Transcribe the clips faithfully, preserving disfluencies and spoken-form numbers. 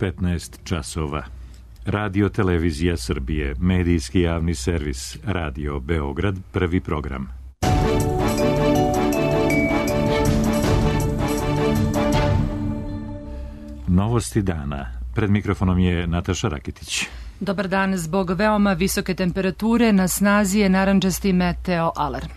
petnaest časova. Radio Televizija Srbije, medijski javni servis, Radio Beograd, prvi program. Novosti dana. Pred mikrofonom je Nataša Rakitić. Dobar dan. Zbog veoma visoke temperature na snazi je narandžasti meteo alarm.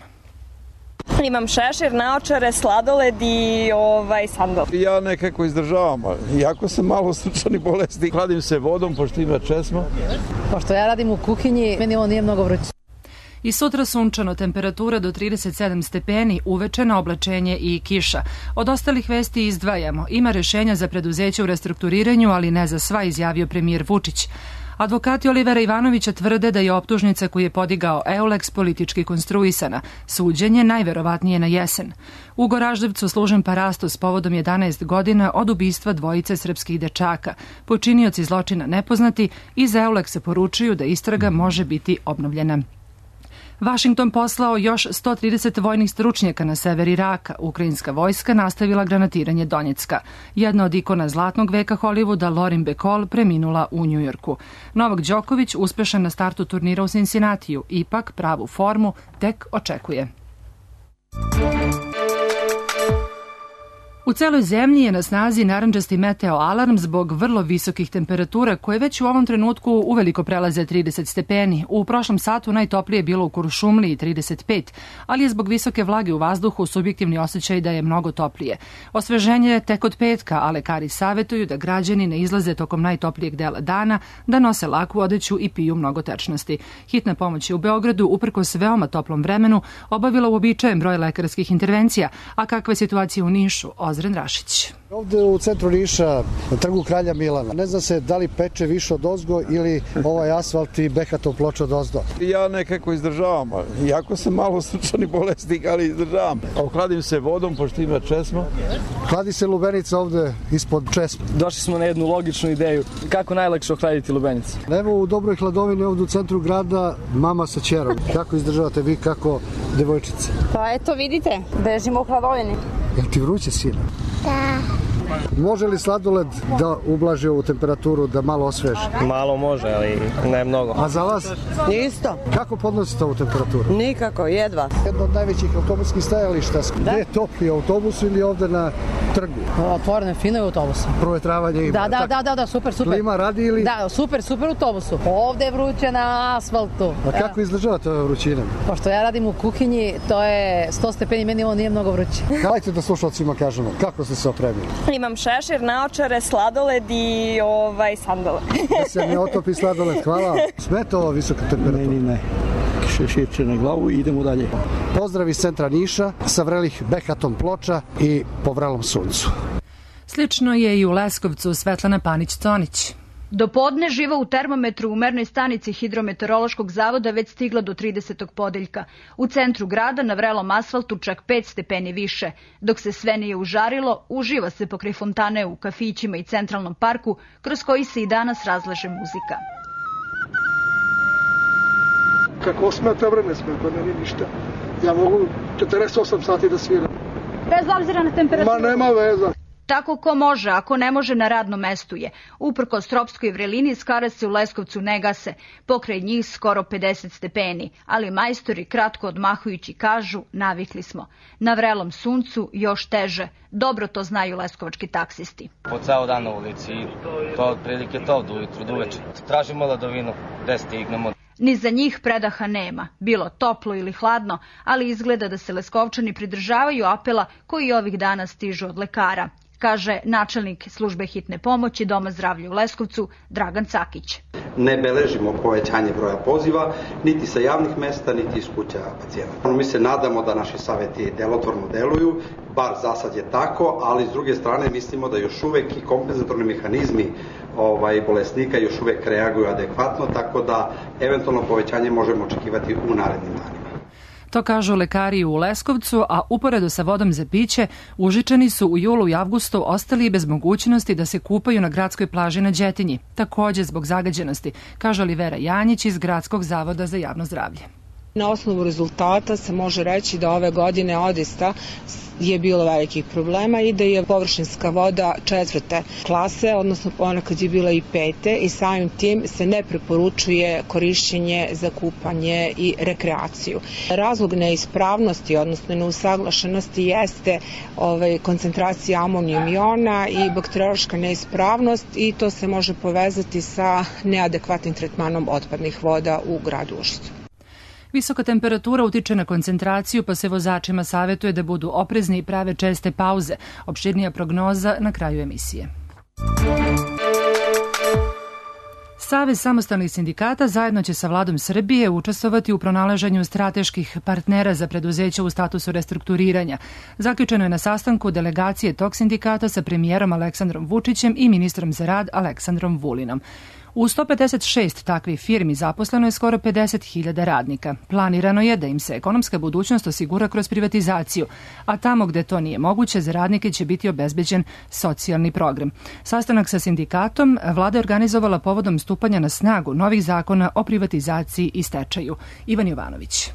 Imam šešir, naočare, sladoled i ovaj, sandal. Ja nekako izdržavam, jako sam malo srčan i bolesti. Hladim se vodom, pošto ima česma. Pošto ja radim u kuhinji, meni ovo nije mnogo vruće. I sutra sunčano, temperatura do trideset sedam stepeni, uvečeno oblačenje i kiša. Od ostalih vesti izdvajamo. Ima rešenja za preduzeće u restrukturiranju, ali ne za sva, izjavio premijer Vučić. Advokati Olivera Ivanovića tvrde da je optužnica koju je podigao Euleks politički konstruisana. Suđenje najverovatnije na jesen. U Goraždevcu služen parasto s povodom jedanaest godina od ubistva dvojice srpskih dečaka. Počinioci zločina nepoznati, iz Euleksa poručuju da istraga može biti obnovljena. Vašington poslao još sto trideset vojnih stručnjaka na sever Iraka. Ukrajinska vojska nastavila granatiranje Donjecka. Jedna od ikona zlatnog veka Hollywooda, Lauren Bacall, preminula u Njujorku. Novak Đoković uspešan na startu turnira u Cincinnatiju, ipak pravu formu tek očekuje. U celoj zemlji je na snazi narandžasti meteo alarm zbog vrlo visokih temperatura koje već u ovom trenutku uveliko prelaze trideset stepeni. U prošlom satu najtoplije je bilo u Kuršumliji trideset pet, ali je zbog visoke vlage u vazduhu subjektivni osjećaj da je mnogo toplije. Osveženje je tek od petka, a lekari savjetuju da građani ne izlaze tokom najtoplijeg dela dana, da nose laku odeću i piju mnogo tečnosti. Hitna pomoć je u Beogradu, uprkos veoma toplom vremenu, obavila uobičajen broj lekarskih intervencija, a kakva je situacija u Nišu? Ozren Rašić. Ovde u centru Niša, na trgu Kralja Milana, ne zna se da li peče više od ozgo ili ovaj asfalt i behatom ploča od ozdo. Ja nekako izdržavam, jako sam malo srčan i bolesti, ali izdržavam. Hladim se vodom, pošto ima česma. Hladi se lubenica ovde ispod česma. Došli smo na jednu logičnu ideju. Kako najlakše ohladiti lubenicu? Evo u dobroj hladovini ovde u centru grada mama sa ćerom. Kako izdržavate vi, kako devojčice? Pa eto vidite, bežimo u hladovini. Jel ti vruće, sina? Da. Može li sladoled da ublaži ovu temperaturu, da malo osveži? Malo može, ali ne mnogo. A za vas? Isto. Kako podnosite ovu temperaturu? Nikako, jedva. Jedno od najvećih autobuskih stajališta. Da? Gde je topli, autobus ili ovde na trgu? Otvorene, fino je autobus. Provetravanje ima. Da, da, da, da, da, super, super. Klima radi ili? Da, super, super autobusu. Ovde je vruće na asfaltu. A kako izdržavate ove vrućine? Pošto ja radim u kuhinji, to je sto stepeni, meni ovo nije mnogo vruće. Hajde da slušalcima kažemo, kako ste se opremili? Imam šešir, naočare, sladoled i ovaj, sandal. Da se ne otopi sladoled, hvala. Smeta ova visoka temperatura? Ne, ne. Šeširče na glavu i idemo dalje. Pozdrav iz centra Niša, sa vrelih behatom ploča i po vrelom suncu. Slično je i u Leskovcu. Svetlana Panić-Conić. Do podne živa u termometru u mernoj stanici Hidrometeorološkog zavoda već stigla do tridesetog podeljka. U centru grada na vrelom asfaltu čak pet stepeni više. Dok se sve nije užarilo, uživa se pokraj fontane u kafićima i centralnom parku, kroz koji se i danas razlaže muzika. Kako smeta vreme smeta, ne nije ništa. Ja mogu četrdeset osam sati da sviram. Bez obzira na temperaturu? Ma nema veza. Tako ko može, ako ne može na radnom mestu je. Uprkos tropskoj vrelini skare se u Leskovcu ne gase. Pokraj njih skoro pedeset stepeni, ali majstori kratko odmahujući kažu navikli smo. Na vrelom suncu još teže. Dobro to znaju leskovački taksisti. Po ceo dan na ulici i to otprilike to do ujutru, do uveče. Tražimo ladovinu, gde stignemo. Ni za njih predaha nema, bilo toplo ili hladno, ali izgleda da se Leskovčani pridržavaju apela koji ovih dana stižu od lekara, kaže načelnik službe hitne pomoći Doma zdravlja u Leskovcu Dragan Cakić. Ne beležimo povećanje broja poziva, niti sa javnih mesta, niti iz kuća pacijenata. Mi se nadamo da naši saveti delotvorno deluju, bar za sad je tako, ali s druge strane mislimo da još uvek i kompenzatorni mehanizmi ovaj, bolesnika još uvek reaguju adekvatno, tako da eventualno povećanje možemo očekivati u narednim danima. To kažu lekari u Leskovcu, a uporedo sa vodom za piće, Užičani su u julu i avgustu ostali bez mogućnosti da se kupaju na gradskoj plaži na Đetinji, takođe zbog zagađenosti, kaže Olivera Janjić iz Gradskog zavoda za javno zdravlje. Na osnovu rezultata se može reći da ove godine odista je bilo velikih problema i da je površinska voda četvrte klase, odnosno ponekad je bila i pete i samim tim se ne preporučuje korišćenje za kupanje i rekreaciju. Razlog neispravnosti, odnosno neusaglašenosti jeste ovaj, koncentracija amonijum iona i bakteriološka neispravnost i to se može povezati sa neadekvatnim tretmanom otpadnih voda u gradu Užicu. Visoka temperatura utiče na koncentraciju, pa se vozačima savjetuje da budu oprezni i prave česte pauze. Opširnija prognoza na kraju emisije. Savez samostalnih sindikata zajedno će sa vladom Srbije učestvovati u pronalaženju strateških partnera za preduzeća u statusu restrukturiranja. Zaključeno je na sastanku delegacije tog sindikata sa premijerom Aleksandrom Vučićem i ministrom za rad Aleksandrom Vulinom. U sto pedeset šest takvih firmi zaposleno je skoro pedeset hiljada radnika. Planirano je da im se ekonomska budućnost osigura kroz privatizaciju, a tamo gde to nije moguće, za radnike će biti obezbeđen socijalni program. Sastanak sa sindikatom vlada je organizovala povodom stupanja na snagu novih zakona o privatizaciji i stečaju. Ivan Jovanović.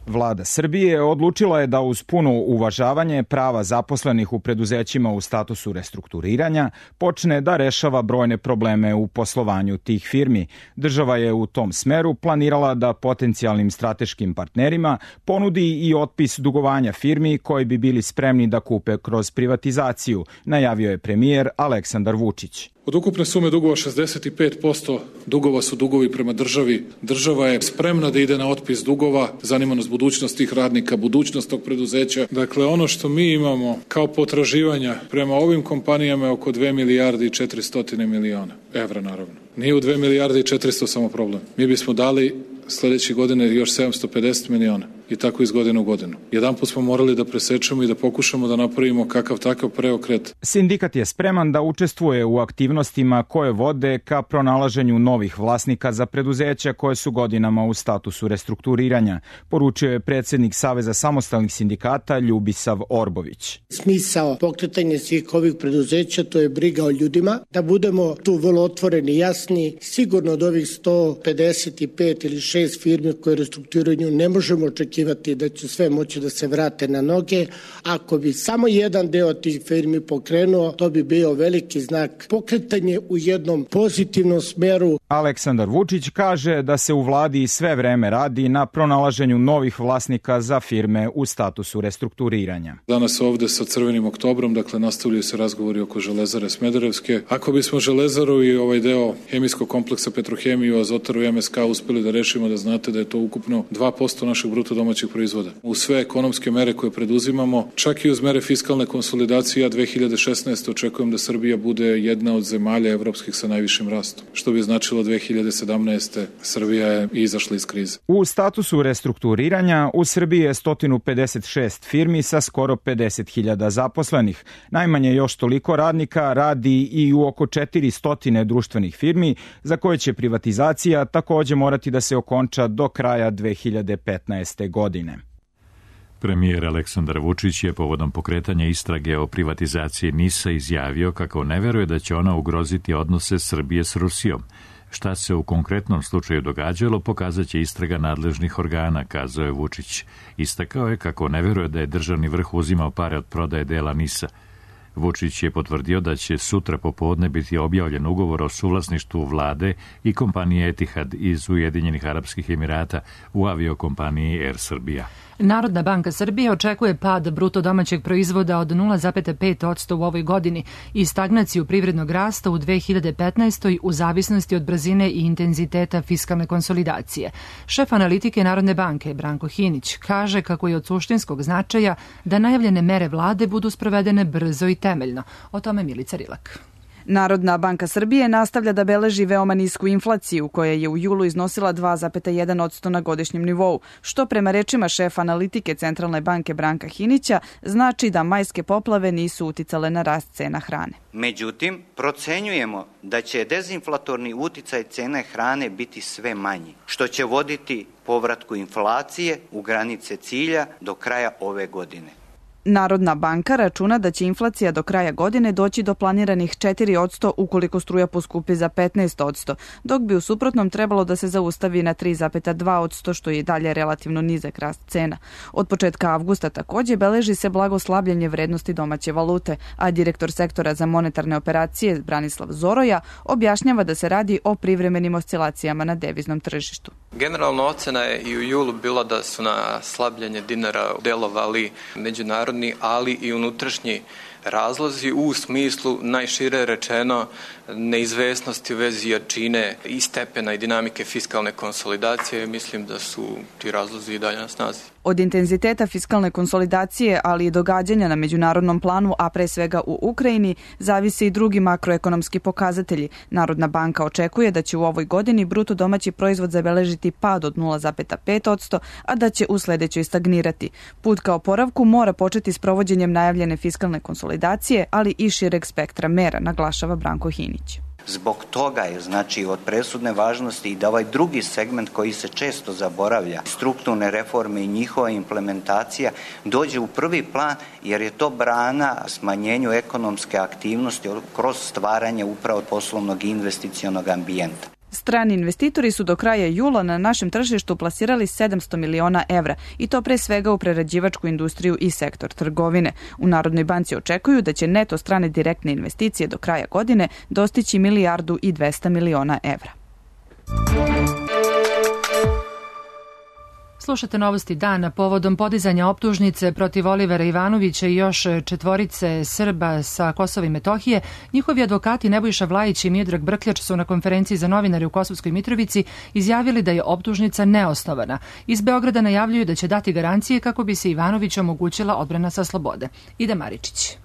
Vlada Srbije odlučila je da uz puno uvažavanje prava zaposlenih u preduzećima u statusu restrukturiranja počne da rešava brojne probleme u poslovanju tih firmi. Država je u tom smeru planirala da potencijalnim strateškim partnerima ponudi i otpis dugovanja firmi koji bi bili spremni da kupe kroz privatizaciju, najavio je premijer Aleksandar Vučić. Od ukupne sume dugova šezdeset pet posto dugova su dugovi prema državi. Država je spremna da ide na otpis dugova, zanima nas budućnost tih radnika, budućnost tog preduzeća. Dakle, ono što mi imamo kao potraživanja prema ovim kompanijama je oko dve milijarde i četiristo miliona evra, naravno. Nije u dve milijarde i četiristo samo problem. Mi bismo dali sledeće godine još sedamsto pedeset miliona i tako iz godine u godinu. Jedan put smo morali da presečemo i da pokušamo da napravimo kakav takav preokret. Sindikat je spreman da učestvuje u aktivnostima koje vode ka pronalaženju novih vlasnika za preduzeća koje su godinama u statusu restrukturiranja, poručio je predsjednik Saveza samostalnih sindikata Ljubisav Orbović. Smisao pokretanja svih ovih preduzeća, to je briga o ljudima, da budemo tu vrlo otvoreni i jasni. Sigurno od ovih sto pedeset pet ili šest firmi koje restrukturiraju ne možemo očekivati da će sve moći da se vrate na noge. Ako bi samo jedan deo tih firmi pokrenuo, to bi bio veliki znak pokretanje u jednom pozitivnom smeru. Aleksandar Vučić kaže da se u vladi sve vreme radi na pronalaženju novih vlasnika za firme u statusu restrukturiranja. Danas ovde sa Crvenim oktobrom, dakle, nastavljaju se razgovori oko Železare Smederevske. Ako bismo Železaru i ovaj deo hemijskog kompleksa Petrohemiju, Azotaru i M S K uspeli da rešimo, da znate da je to ukupno dva posto našeg bruto domaćeg proizvoda. U sve ekonomske mere koje preduzimamo, čak i uz mere fiskalne konsolidacije, ja dve hiljade šesnaeste. očekujem da Srbija bude jedna od zemalja evropskih sa najvišim rastom, što bi značilo dve hiljade sedamnaeste. Srbija je izašla iz krize. U statusu restrukturiranja u Srbiji je sto pedeset šest firmi sa skoro pedeset hiljada zaposlenih. Najmanje još toliko radnika radi i u oko četiristo društvenih firmi za koje će privatizacija takođe morati da se okonča do kraja dve hiljade petnaeste. godine. Premijer Aleksandar Vučić je povodom pokretanja istrage o privatizaciji NIS-a izjavio kako ne veruje da će ona ugroziti odnose Srbije s Rusijom. Šta se u konkretnom slučaju događalo, pokazat će istraga nadležnih organa, kazao je Vučić. Istakao je kako ne veruje da je državni vrh uzimao pare od prodaje dela NIS-a. Vučić je potvrdio da će sutra popodne biti objavljen ugovor o suvlasništvu vlade i kompanije Etihad iz Ujedinjenih Arapskih Emirata u aviokompaniji Air Srbija. Narodna banka Srbije očekuje pad bruto domaćeg proizvoda od nula zarez pet posto u ovoj godini i stagnaciju privrednog rasta u dve hiljade petnaestoj. u zavisnosti od brzine i intenziteta fiskalne konsolidacije. Šef analitike Narodne banke Branko Hinić kaže kako je od suštinskog značaja da najavljene mere vlade budu sprovedene brzo i temeljno. O tome Milica Rilak. Narodna banka Srbije nastavlja da beleži veoma nisku inflaciju, koja je u julu iznosila dva zarez jedan posto na godišnjem nivou, što prema rečima šefa analitike Centralne banke Branka Hinića znači da majske poplave nisu uticale na rast cena hrane. Međutim, procenjujemo da će dezinflatorni uticaj cene hrane biti sve manji, što će voditi povratku inflacije u granice cilja do kraja ove godine. Narodna banka računa da će inflacija do kraja godine doći do planiranih četiri posto ukoliko struja poskupi za petnaest posto, dok bi u suprotnom trebalo da se zaustavi na tri zarez dva posto, što je i dalje relativno nizak rast cena. Od početka avgusta takođe beleži se blago slabljenje vrednosti domaće valute, a direktor sektora za monetarne operacije Branislav Zoroja objašnjava da se radi o privremenim oscilacijama na deviznom tržištu. Generalno ocena je i u julu bila da su na slabljenje dinara delovali međunarodni, ali i unutrašnji razlozi u smislu najšire rečeno neizvesnosti u vezi jačine i stepena i dinamike fiskalne konsolidacije. Mislim da su ti razlozi i dalje na snazi. Od intenziteta fiskalne konsolidacije, ali i događanja na međunarodnom planu, a pre svega u Ukrajini, zavise i drugi makroekonomski pokazatelji. Narodna banka očekuje da će u ovoj godini bruto domaći proizvod zabeležiti pad od nula zarez pet posto, a da će u sledećoj stagnirati. Put ka oporavku mora početi s provođenjem najavljene fiskalne konsolidacije, ali i šireg spektra mera, naglašava Branko Hinić. Zbog toga je znači od presudne važnosti i da ovaj drugi segment koji se često zaboravlja, strukturne reforme i njihova implementacija, dođe u prvi plan jer je to brana smanjenju ekonomske aktivnosti kroz stvaranje upravo poslovnog i investicionog ambijenta. Strani investitori su do kraja jula na našem tržištu plasirali sedamsto miliona evra i to pre svega u prerađivačku industriju i sektor trgovine. U Narodnoj banci očekuju da će neto strane direktne investicije do kraja godine dostići milijardu i dvesta miliona evra. Slušate novosti dana povodom podizanja optužnice protiv Olivera Ivanovića i još četvorice Srba sa Kosova i Metohije. Njihovi advokati Nebojša Vlajić i Miodrag Brkljač su na konferenciji za novinare u Kosovskoj Mitrovici izjavili da je optužnica neosnovana. Iz Beograda najavljuju da će dati garancije kako bi se Ivanoviću omogućila odbrana sa slobode. Ida Maričić.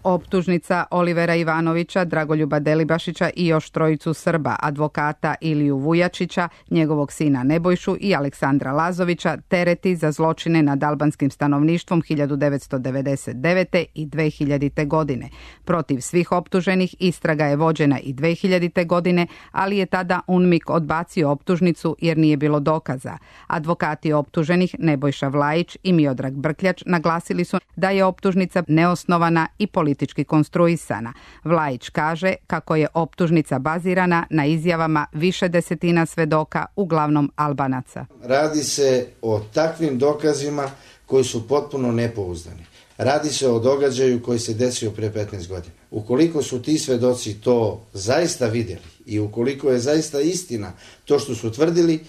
Optužnica Olivera Ivanovića, Dragoljuba Delibašića i još trojicu Srba, advokata Iliju Vujačića, njegovog sina Nebojšu i Aleksandra Lazovića, tereti za zločine nad albanskim stanovništvom hiljadu devetsto devedeset devete. i dve hiljadite. godine. Protiv svih optuženih istraga je vođena i dve hiljadite. godine, ali je tada UNMIK odbacio optužnicu jer nije bilo dokaza. Advokati optuženih Nebojša Vlajić i Miodrag Brkljač naglasili su da je optužnica neosnovana i politička politički konstruisana. Vlajić kaže kako je optužnica bazirana na izjavama više desetina svedoka, uglavnom Albanaca. Radi se o takvim dokazima koji su potpuno nepouzdani. Radi se o događaju koji se desio pre petnaest godina. Ukoliko su ti svedoci to zaista vidjeli i ukoliko je zaista istina to što su tvrdili,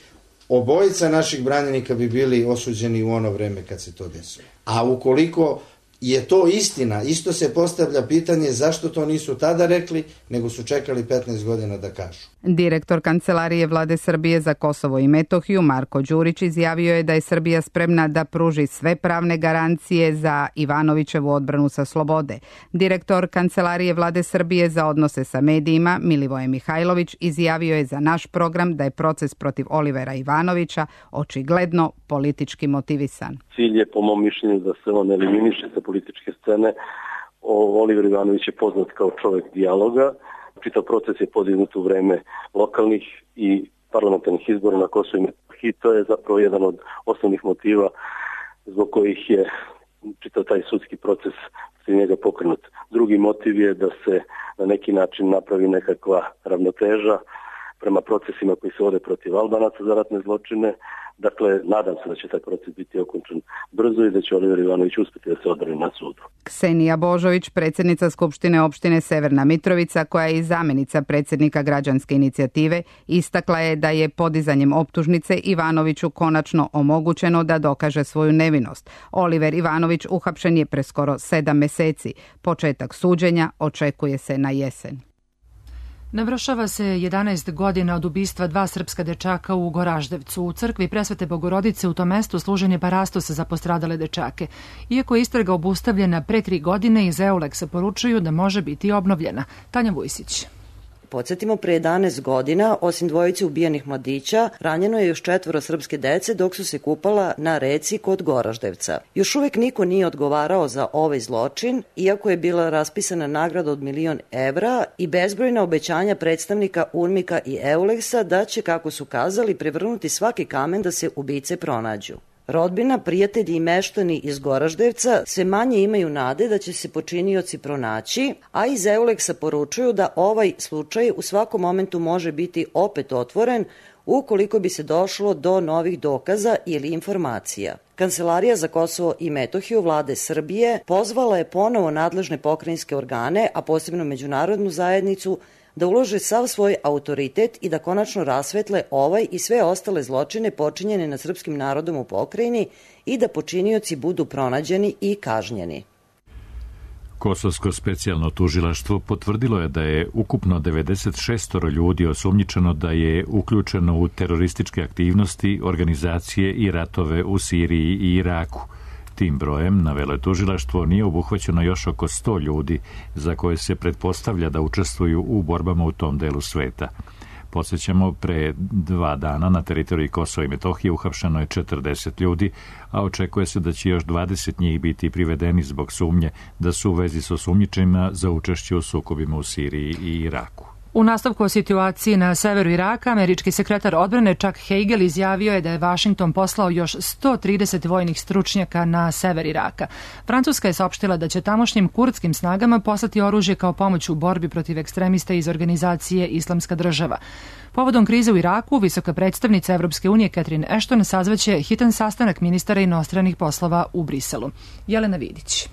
obojica naših branjenika bi bili osuđeni u ono vreme kad se to desilo. A ukoliko je to istina, isto se postavlja pitanje zašto to nisu tada rekli, nego su čekali petnaest godina da kažu. Direktor Kancelarije Vlade Srbije za Kosovo i Metohiju Marko Đurić izjavio je da je Srbija spremna da pruži sve pravne garancije za Ivanovićevu odbranu sa slobode. Direktor Kancelarije Vlade Srbije za odnose sa medijima Milivoje Mihajlović izjavio je za naš program da je proces protiv Olivera Ivanovića očigledno politički motivisan. Cilj je po mom mišljenju da se on eliminiše sa političke scene. Oliver Ivanović je poznat kao čovjek dijaloga. Čitav proces je podignut u vreme lokalnih i parlamentarnih izbora na Kosovu i Metohiji. To je zapravo jedan od osnovnih motiva zbog kojih je čitav taj sudski proces za njega pokrenut. Drugi motiv je da se na neki način napravi nekakva ravnoteža prema procesima koji se vode protiv Albanaca za ratne zločine. Dakle, nadam se da će taj proces biti okončan brzo i da će Oliver Ivanović uspjeti da se odbrani na sudu. Ksenija Božović, predsjednica Skupštine opštine Severna Mitrovica, koja je i zamjenica predsjednika građanske inicijative, istakla je da je podizanjem optužnice Ivanoviću konačno omogućeno da dokaže svoju nevinost. Oliver Ivanović uhapšen je pre skoro sedam meseci. Početak suđenja očekuje se na jesen. Navršava se jedanaest godina od ubistva dva srpska dečaka u Goraždevcu. U crkvi Presvete Bogorodice u tom mestu služen je parastos za postradale dečake. Iako je istraga obustavljena pre tri godine, iz Euleksa poručuju da može biti obnovljena. Tanja Vujsić. Podsjetimo, pre jedanaest godina, osim dvojice ubijenih mladića, ranjeno je još četvoro srpske dece dok su se kupala na reci kod Goraždevca. Još uvek niko nije odgovarao za ovaj zločin, iako je bila raspisana nagrada od milion evra i bezbrojna obećanja predstavnika UNMIK-a i Euleksa da će, kako su kazali, prevrnuti svaki kamen da se ubice pronađu. Rodbina, prijatelji i meštani iz Goraždevca sve manje imaju nade da će se počinioci pronaći, a iz Euleksa poručuju da ovaj slučaj u svakom momentu može biti opet otvoren ukoliko bi se došlo do novih dokaza ili informacija. Kancelarija za Kosovo i Metohiju vlade Srbije pozvala je ponovo nadležne pokrajinske organe, a posebno međunarodnu zajednicu, da ulože sav svoj autoritet i da konačno rasvetle ovaj i sve ostale zločine počinjene nad srpskim narodom u pokrajini i da počinioci budu pronađeni i kažnjeni. Kosovsko specijalno tužilaštvo potvrdilo je da je ukupno devedeset šest ljudi osumnjičeno da je uključeno u terorističke aktivnosti, organizacije i ratove u Siriji i Iraku. Tim brojem, navelo je tužilaštvo, nije obuhvaćeno još oko sto ljudi za koje se pretpostavlja da učestvuju u borbama u tom delu sveta. Podsjećamo, pre dva dana na teritoriji Kosova i Metohije uhapšeno je četrdeset ljudi, a očekuje se da će još dvadeset njih biti privedeni zbog sumnje da su u vezi s osumnjičenima za učešće u sukobima u Siriji i Iraku. U nastavku o situaciji na severu Iraka, američki sekretar odbrane Chuck Hagel izjavio je da je Vašington poslao još sto trideset vojnih stručnjaka na sever Iraka. Francuska je saopštila da će tamošnjim kurdskim snagama poslati oružje kao pomoć u borbi protiv ekstremista iz organizacije Islamska država. Povodom krize u Iraku, visoka predstavnica Evropske unije Catherine Ashton sazvaće hitan sastanak ministara inostranih poslova u Briselu. Jelena Vidić.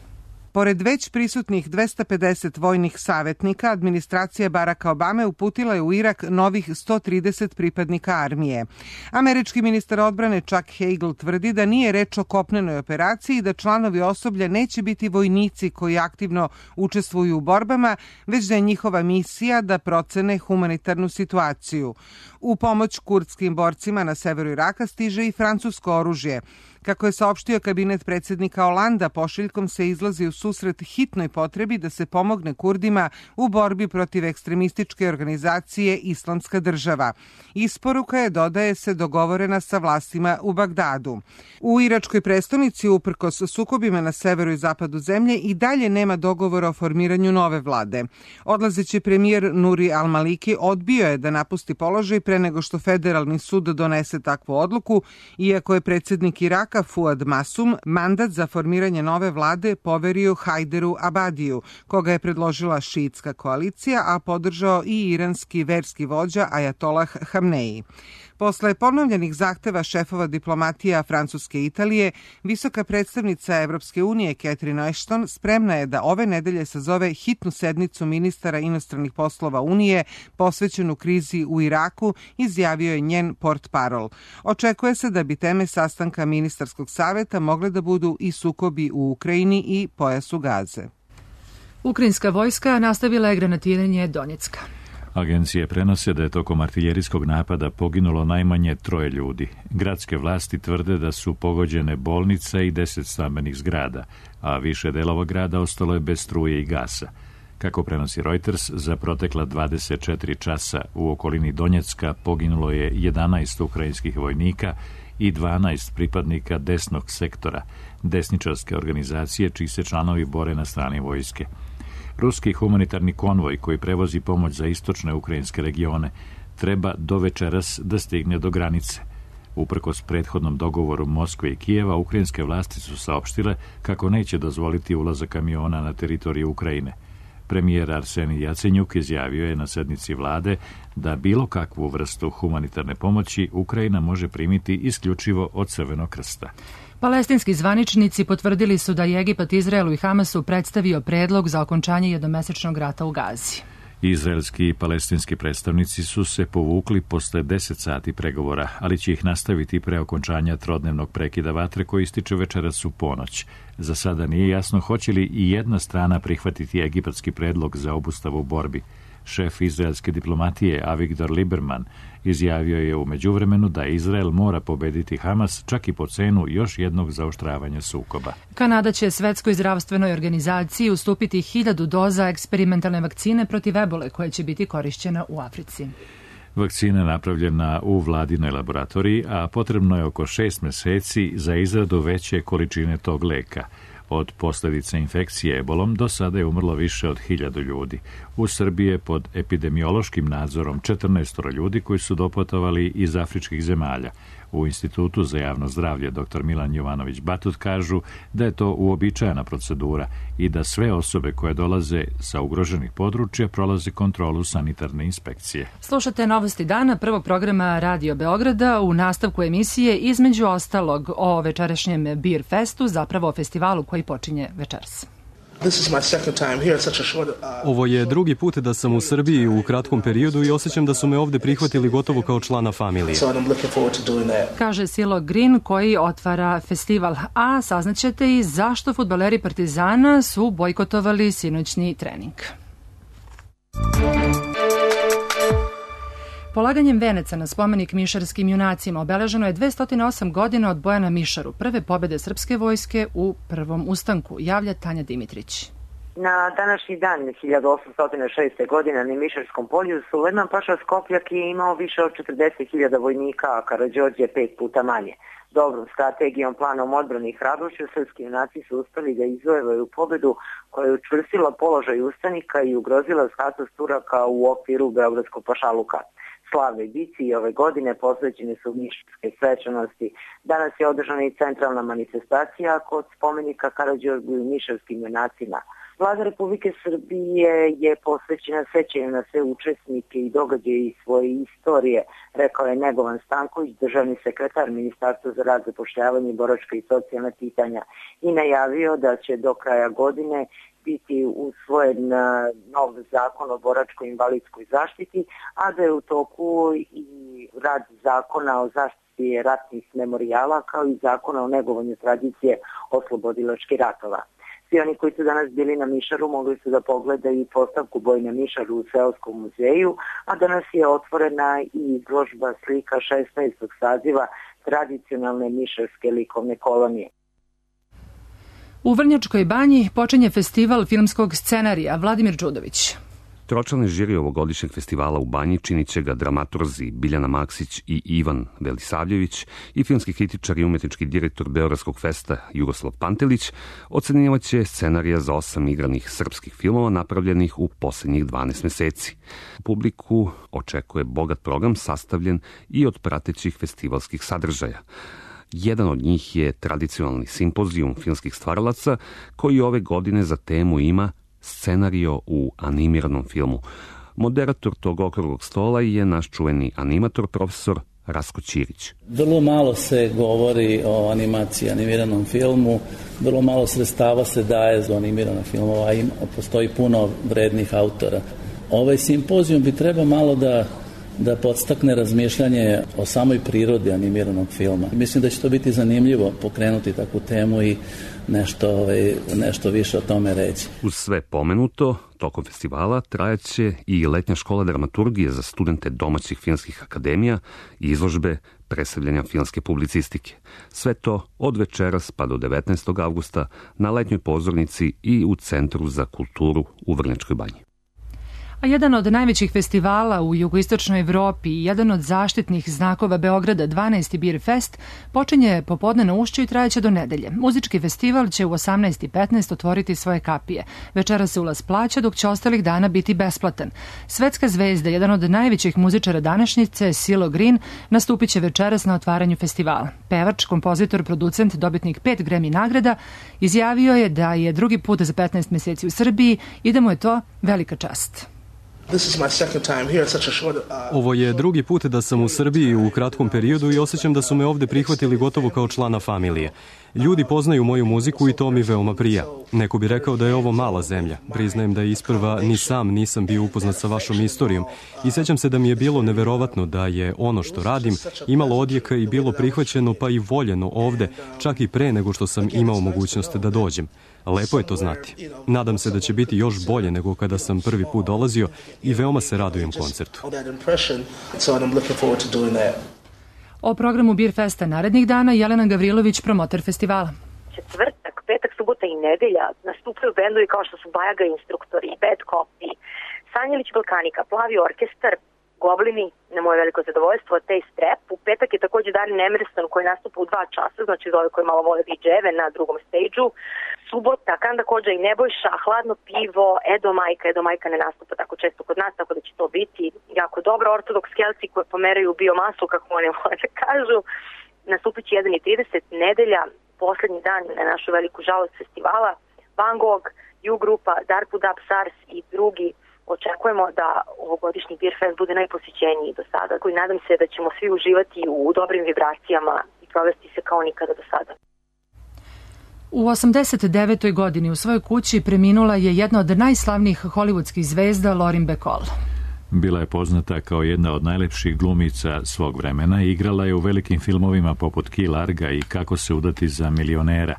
Pored već prisutnih dvesta pedeset vojnih savjetnika, administracija Baracka Obame uputila je u Irak novih sto trideset pripadnika armije. Američki ministar odbrane Chuck Hagel tvrdi da nije reč o kopnenoj operaciji i da članovi osoblja neće biti vojnici koji aktivno učestvuju u borbama, već da je njihova misija da procene humanitarnu situaciju. U pomoć kurdskim borcima na severu Iraka stiže i francusko oružje. Kako je saopštio kabinet predsjednika Olanda, pošiljkom se izlazi u susret hitnoj potrebi da se pomogne Kurdima u borbi protiv ekstremističke organizacije Islamska država. Isporuka je, dodaje se, dogovorena sa vlastima u Bagdadu. U iračkoj prestonici, uprkos sukobima na severu i zapadu zemlje, i dalje nema dogovora o formiranju nove vlade. Odlazeći premijer Nuri al-Maliki odbio je da napusti položaj pre nego što federalni sud donese takvu odluku, iako je predsjednik Iraka Fuad Masum mandat za formiranje nove vlade poverio Hajderu Abadiju, koga je predložila šiitska koalicija, a podržao i iranski verski vođa Ajatolah Hamneji. Posle ponovljenih zahteva šefova diplomatija Francuske i Italije, visoka predstavnica Evropske unije Catherine Ashton spremna je da ove nedelje sazove hitnu sednicu ministara inostranih poslova Unije posvećenu krizi u Iraku, izjavio je njen portparol. Očekuje se da bi teme sastanka ministarskog saveta mogle da budu i sukobi u Ukrajini i pojasu Gaze. Ukrajinska vojska nastavila je granatiranje Donjecka. Agencije prenose da je tokom artiljerijskog napada poginulo najmanje troje ljudi. Gradske vlasti tvrde da su pogođene bolnica i deset stambenih zgrada, a više delova grada ostalo je bez struje i gasa. Kako prenosi Reuters, za protekla dvadeset četiri časa u okolini Donjecka poginulo je jedanaest ukrajinskih vojnika i dvanaest pripadnika desnog sektora, desničarske organizacije čiji se članovi bore na strani vojske. Ruski humanitarni konvoj koji prevozi pomoć za istočne ukrajinske regione treba do večeras da stigne do granice. Uprkos prethodnom dogovoru Moskve i Kijeva, ukrajinske vlasti su saopštile kako neće dozvoliti ulazak kamiona na teritoriju Ukrajine. Premijer Arsenij Jacenjuk izjavio je na sednici vlade da bilo kakvu vrstu humanitarne pomoći Ukrajina može primiti isključivo od Crvenog krsta. Palestinski zvaničnici potvrdili su da je Egipat Izraelu i Hamasu predstavio predlog za okončanje jednomesečnog rata u Gazi. Izraelski i palestinski predstavnici su se povukli posle deset sati pregovora, ali će ih nastaviti pre okončanja trodnevnog prekida vatre koji ističe večeras u ponoć. Za sada nije jasno hoće li i jedna strana prihvatiti egipatski predlog za obustavu borbi. Šef izraelske diplomatije Avigdor Lieberman izjavio je u međuvremenu da Izrael mora pobediti Hamas čak i po cenu još jednog zaoštravanja sukoba. Kanada će Svetskoj zdravstvenoj organizaciji ustupiti hiljadu doza eksperimentalne vakcine protiv ebole koja će biti korišćena u Africi. Vakcina je napravljena u vladinoj laboratoriji, a potrebno je oko šest meseci za izradu veće količine tog leka. Od posljedica infekcije ebolom do sada je umrlo više od hiljadu ljudi. U Srbiji je pod epidemiološkim nadzorom četrnaest ljudi koji su doputovali iz afričkih zemalja. U Institutu za javno zdravlje dr Milan Jovanović-Batut kažu da je to uobičajena procedura i da sve osobe koje dolaze sa ugroženih područja prolaze kontrolu sanitarne inspekcije. Slušate Novosti dana prvog programa Radio Beograda. U nastavku emisije između ostalog o večerašnjem Beer Festu, zapravo o festivalu koji počinje večeras. Ovo je drugi put da sam u Srbiji u kratkom periodu i osjećam da su me ovde prihvatili gotovo kao člana familije. Kaže Silo Green koji otvara festival, a saznaćete i zašto fudbaleri Partizana su bojkotovali sinoćni trening. Polaganjem veneca na spomenik mišarskim junacima obeleženo je dvesta osam godina od boja na Mišaru, prve pobjede srpske vojske u prvom ustanku, javlja Tanja Dimitrić. Na današnji dan hiljadu osamsto šeste. godine na Mišarskom polju Sulejman Paša Skopljak je imao više od četrdeset hiljada vojnika, a Karađorđe pet puta manje. Dobrom strategijom, planom odbrane i hrabrošću srpski junaci su uspeli da izvojevaju pobedu koja je učvrstila položaj ustanika i ugrozila status Turaka u okviru Beogradskog pašaluka. Slavnoj bici i ove godine posvećene su mišarske svečanosti. Danas je održana i centralna manifestacija kod spomenika Karađorđu i mišarskim junacima. Vlada Republike Srbije je posvećena sećanju na sve učesnike i događaje iz svoje istorije, rekao je Negovan Stanković, državni sekretar Ministarstva za rad, zapošljavanje, boračka i socijalna pitanja, i najavio da će do kraja godine biti usvojen nov zakon o boračko-invalidskoj zaštiti, a da je u toku i rad zakona o zaštiti ratnih memorijala kao i zakona o negovanju tradicije oslobodilačkih ratova. Svi oni koji su danas bili na Mišaru mogli su da pogledaju i postavku Boj na Mišaru u Seoskom muzeju, a danas je otvorena i izložba slika šesnaestog saziva tradicionalne mišarske likovne kolonije. U Vrnjačkoj banji počinje festival filmskog scenarija. Vladimir Đudović. Tročlani žiri ovogodišnjeg festivala u Banji činit će ga dramaturzi Biljana Maksić i Ivan Velisavljević i filmski kritičar i umetnički direktor Beogradskog festa Jugoslav Pantelić ocenjivat će scenarija za osam igranih srpskih filmova napravljenih u posljednjih dvanaest meseci. Publiku očekuje bogat program sastavljen i od pratećih festivalskih sadržaja. Jedan od njih je tradicionalni simpozijum filmskih stvaralaca koji ove godine za temu ima scenario u animiranom filmu. Moderator tog okruglog stola je naš čuveni animator profesor Rasko Ćirić. Vrlo malo se govori o animaciji, animiranom filmu, vrlo malo sredstava se daje za animirane filmova, a postoji puno vrednih autora. Ovaj simpozijum bi trebao malo da da podstakne razmišljanje o samoj prirodi animiranog filma. Mislim da će to biti zanimljivo pokrenuti takvu temu i nešto, ovaj, nešto više o tome reći. Uz sve pomenuto, tokom festivala trajaće i letnja škola dramaturgije za studente domaćih filmskih akademija i izložbe predstavljanja filmske publicistike. Sve to od večeras pa do devetnaestog avgusta na letnjoj pozornici i u Centru za kulturu u Vrnjačkoj banji. A jedan od najvećih festivala u jugoistočnoj Evropi i jedan od zaštitnih znakova Beograda, dvanaesti Beer Fest, počinje popodne na Ušću i trajeće do nedelje. Muzički festival će u osamnaest i petnaest otvoriti svoje kapije. Večera se ulaz plaća, dok će ostalih dana biti besplatan. Svetska zvezda, jedan od najvećih muzičara današnjice, Silo Green, nastupit će večeras na otvaranju festivala. Pevač, kompozitor, producent, dobitnik pet Grammy nagrada, izjavio je da je drugi put za petnaest meseci u Srbiji i da mu je to velika čast. Ovo je drugi put da sam u Srbiji u kratkom periodu i osjećam da su me ovde prihvatili gotovo kao člana familije. Ljudi poznaju moju muziku i to mi veoma prija. Neko bi rekao da je ovo mala zemlja. Priznajem da isprva ni sam nisam bio upoznat sa vašom istorijom i sećam se da mi je bilo neverovatno da je ono što radim imalo odjeka i bilo prihvaćeno pa i voljeno ovde, čak i pre nego što sam imao mogućnost da dođem. Lepo je to znati. Nadam se da će biti još bolje nego kada sam prvi put dolazio i veoma se radujem koncertu. O programu Beer Festa narednih dana Jelena Gavrilović, promoter festivala. Četvrtak, petak, subota i nedelja nastupaju bendovi kao što su Bajaga Instruktori, Bad Copy, Sanjelić Balkanika, Plavi orkestar, Goblini, na moje veliko zadovoljstvo, Taste Trap. U petak je takođe Darin Emerson koji nastupa u dva časa, znači za ove koji malo vole D J-eve na drugom stage-u. Subota, Kanda Kođa i Nebojša, Hladno pivo, Edo Majka. Edo Majka ne nastupa tako često kod nas, tako da će to biti jako dobro. Ortodoks Kelci koji pomeraju biomasu, kako oni vole da kažu. Nastupit će jedan i trideset, nedelja, poslednji dan na našu veliku žalost festivala. Van Gogh, U-grupa, Darkwood Up, Sars i drugi. Očekujemo da ovogodišnji Beer Fest bude najposjećeniji do sada. I nadam se da ćemo svi uživati u dobrim vibracijama i provesti se kao nikada do sada. U osamdeset devetoj godini u svojoj kući preminula je jedna od najslavnijih hollywoodskih zvezda Lauren Bacall. Bila je poznata kao jedna od najlepših glumica svog vremena i igrala je u velikim filmovima poput Key Larga i Kako se udati za milionera.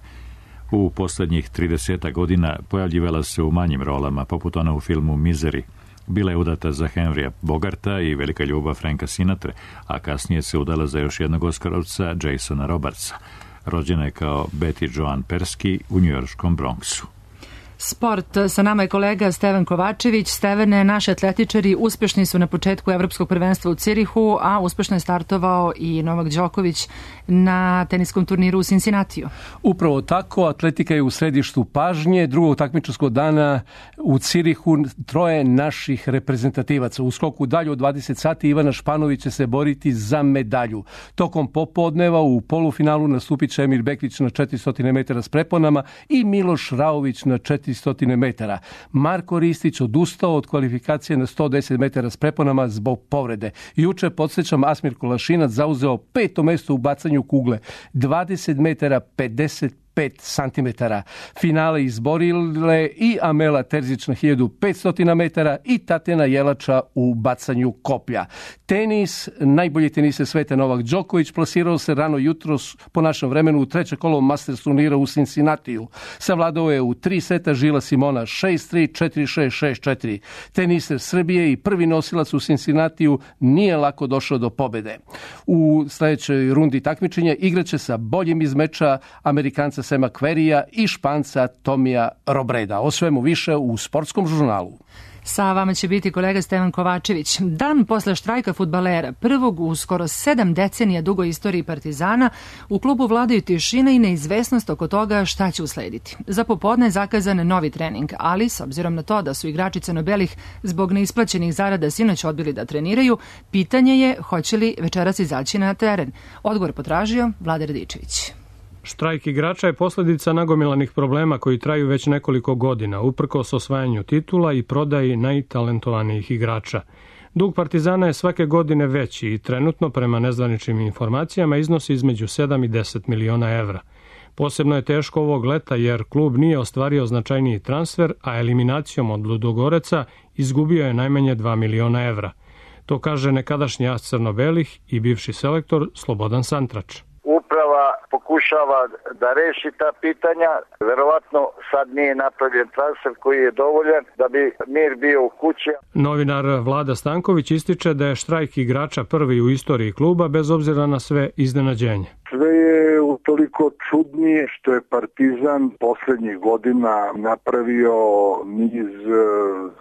U poslednjih trideset godina pojavljivala se u manjim rolama, poput ona u filmu Misery. Bila je udata za Henrya Bogarta i velika ljubav Franka Sinatre, a kasnije se udala za još jednog Oskarovca, Jasona Robartsa. Rođena je kao Betty Joan Persky u njujorškom Bronxu. Sport, sa nama je kolega Stevan Kovačević. Stevane, naši atletičari uspešni su na početku evropskog prvenstva u Cirihu, a uspešno je startovao i Novak Đoković na teniskom turniru u Cincinnatiju. Upravo tako, atletika je u središtu pažnje. Drugog takmičarskog dana u Cirihu troje naših reprezentativaca. U skoku dalje od dvadeset sati Ivana Španović će se boriti za medalju. Tokom popodneva u polufinalu nastupit će Emir Bekvić na četiristo metara s preponama i Miloš Raović na četiristo metara. Marko Ristić odustao od kvalifikacije na sto deset metara s preponama zbog povrede. Juče, podsjećam, Asmir Kolašinac zauzeo peto mesto u bacanju kugle. dvadeset metara pedeset pet santimetara. Finale izborile i Amela Terzić na hiljadu petsto metara i Tatjana Jelača u bacanju koplja. Tenis, najbolji teniser sveta Novak Đoković plasirao se rano jutros po našem vremenu u treće kolo Masters turnira u Cincinnatiju. Savladao je u tri seta Žila Simona šest tri, četiri šest, šest četiri. Teniser Srbije i prvi nosilac u Cincinnatiju nije lako došao do pobede. U sledećoj rundi takmičenja igraće sa boljim iz meča Amerikanca Sema Kverija i Španca Tomija Robreda. O svemu više u Sportskom žurnalu. Sa vama će biti kolega Stevan Kovačević. Dan posle štrajka fudbalera, prvog u skoro sedam decenija dugoj istoriji Partizana, u klubu vladaju tišina i neizvesnost oko toga šta će uslediti. Za popodne je zakazan novi trening, ali s obzirom na to da su igrači crno-belih zbog neisplaćenih zarada sinoć odbili da treniraju, pitanje je hoće li večeras izaći na teren. Odgovor potražio Vlada Radičević. Štrajk igrača je posljedica nagomilanih problema koji traju već nekoliko godina, uprkos osvajanju titula i prodaji najtalentovanijih igrača. Dug Partizana je svake godine veći i trenutno, prema nezvaničnim informacijama, iznosi između sedam i deset miliona evra. Posebno je teško ovog leta jer klub nije ostvario značajniji transfer, a eliminacijom od Ludogoreca izgubio je najmanje dva miliona evra. To kaže nekadašnji as crno-belih i bivši selektor Slobodan Santrač. Uprava pokušava da reši ta pitanja. Verovatno sad nije napravljen transfer koji je dovoljan da bi mir bio u kući. Novinar Vlada Stanković ističe da je štrajk igrača prvi u istoriji kluba bez obzira na sve iznenađenje. Sve je utoliko čudnije što je Partizan poslednjih godina napravio niz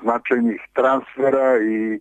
značajnih transfera i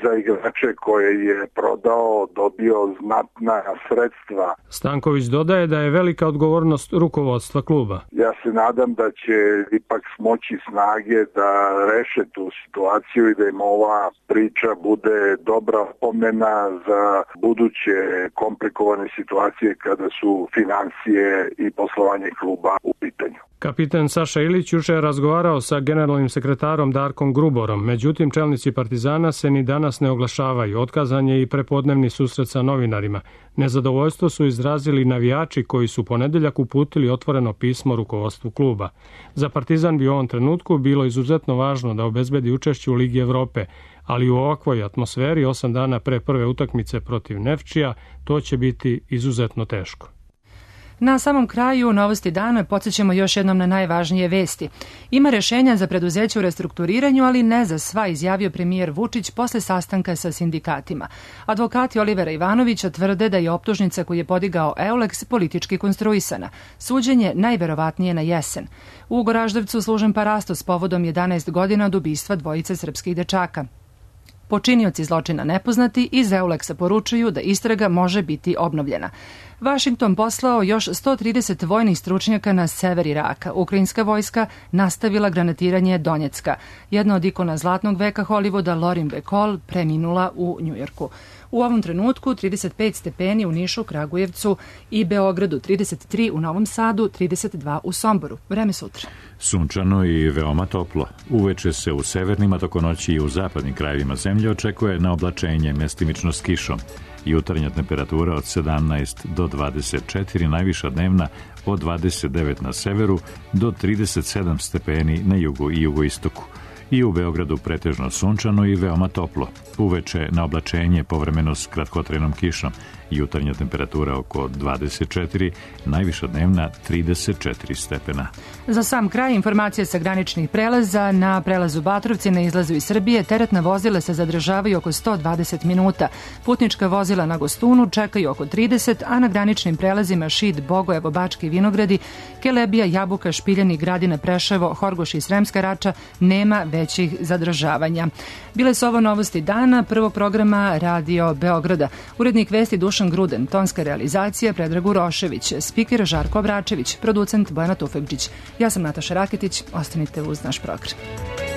za igrače koje je prodao dobio znatna sredstva. Stanković dodaje da je velika odgovornost rukovodstva kluba. Ja se nadam da će ipak smoći snage da reše tu situaciju i da im ova priča bude dobra opomena za buduće komplikovane situacije kada su financije i poslovanje kluba u pitanju. Kapitan Saša Ilić juče je razgovarao sa generalnim sekretarom Darkom Gruborom, međutim čelnici Partizana se ni danas ne oglašavaju. Otkazan je i prepodnevni susret sa novinarima. Nezadovoljstvo su izrazili navijači koji su ponedeljak uputili otvoreno pismo rukovodstvu kluba. Za Partizan bi u ovom trenutku bilo izuzetno važno da obezbedi učešće u Ligi Evrope, ali u ovakvoj atmosferi osam dana pre prve utakmice protiv Nefčija to će biti izuzetno teško. Na samom kraju novosti dana podsjećamo još jednom na najvažnije vesti. Ima rešenja za preduzeće u restrukturiranju, ali ne za sva, izjavio premijer Vučić posle sastanka sa sindikatima. Advokati Olivera Ivanovića tvrde da je optužnica koju je podigao Euleks politički konstruisana. Suđenje najverovatnije na jesen. U Goraždevcu služen parasto s povodom jedanaest godina od ubistva dvojice srpskih dečaka. počinioci zločina nepoznati, iz Euleksa poručuju da istraga može biti obnovljena. Washington poslao još sto trideset vojnih stručnjaka na sever Iraka. Ukrajinska vojska nastavila granatiranje Donjecka. Jedna od ikona zlatnog veka Hollywooda, Lauren Bacall, preminula u Njujorku. U ovom trenutku trideset pet stepeni u Nišu, Kragujevcu i Beogradu, trideset tri u Novom Sadu, trideset dva u Somboru. Vreme sutra. Sunčano i veoma toplo. Uveče se u severnim, a toko noći i u zapadnim krajevima zemlje očekuje na oblačenje, mestimično s kišom. Jutarnja temperatura od sedamnaest do dvadeset četiri, najviša dnevna od dvadeset devet na severu do trideset sedam stepeni na jugu i jugoistoku. I u Beogradu pretežno sunčano i veoma toplo. Uveče na oblačenje povremeno s kratkotrenom kišom. Jutarnja temperatura oko dvadeset četiri, najviša dnevna trideset četiri stepena. Za sam kraj informacije sa graničnih prelaza. Na prelazu Batrovci na izlazu iz Srbije teretna vozila se zadržavaju oko sto dvadeset minuta. Putnička vozila na Gostunu čekaju oko trideset, a na graničnim prelazima Šid, Bogojevo, Bački Vinogradi, Kelebija, Jabuka, Špiljani, Gradina, Preševo, Horgoš i Sremska Rača nema većih zadržavanja. Bile su ovo novosti dana prvog programa Radio Beograda. Urednik vesti Dušan Gruden, tonska realizacija Predrag Urošević, spiker Žarko Obračević, producent Bojana Tufekđić. Ja sam Nataša Raketić, ostanite uz naš program.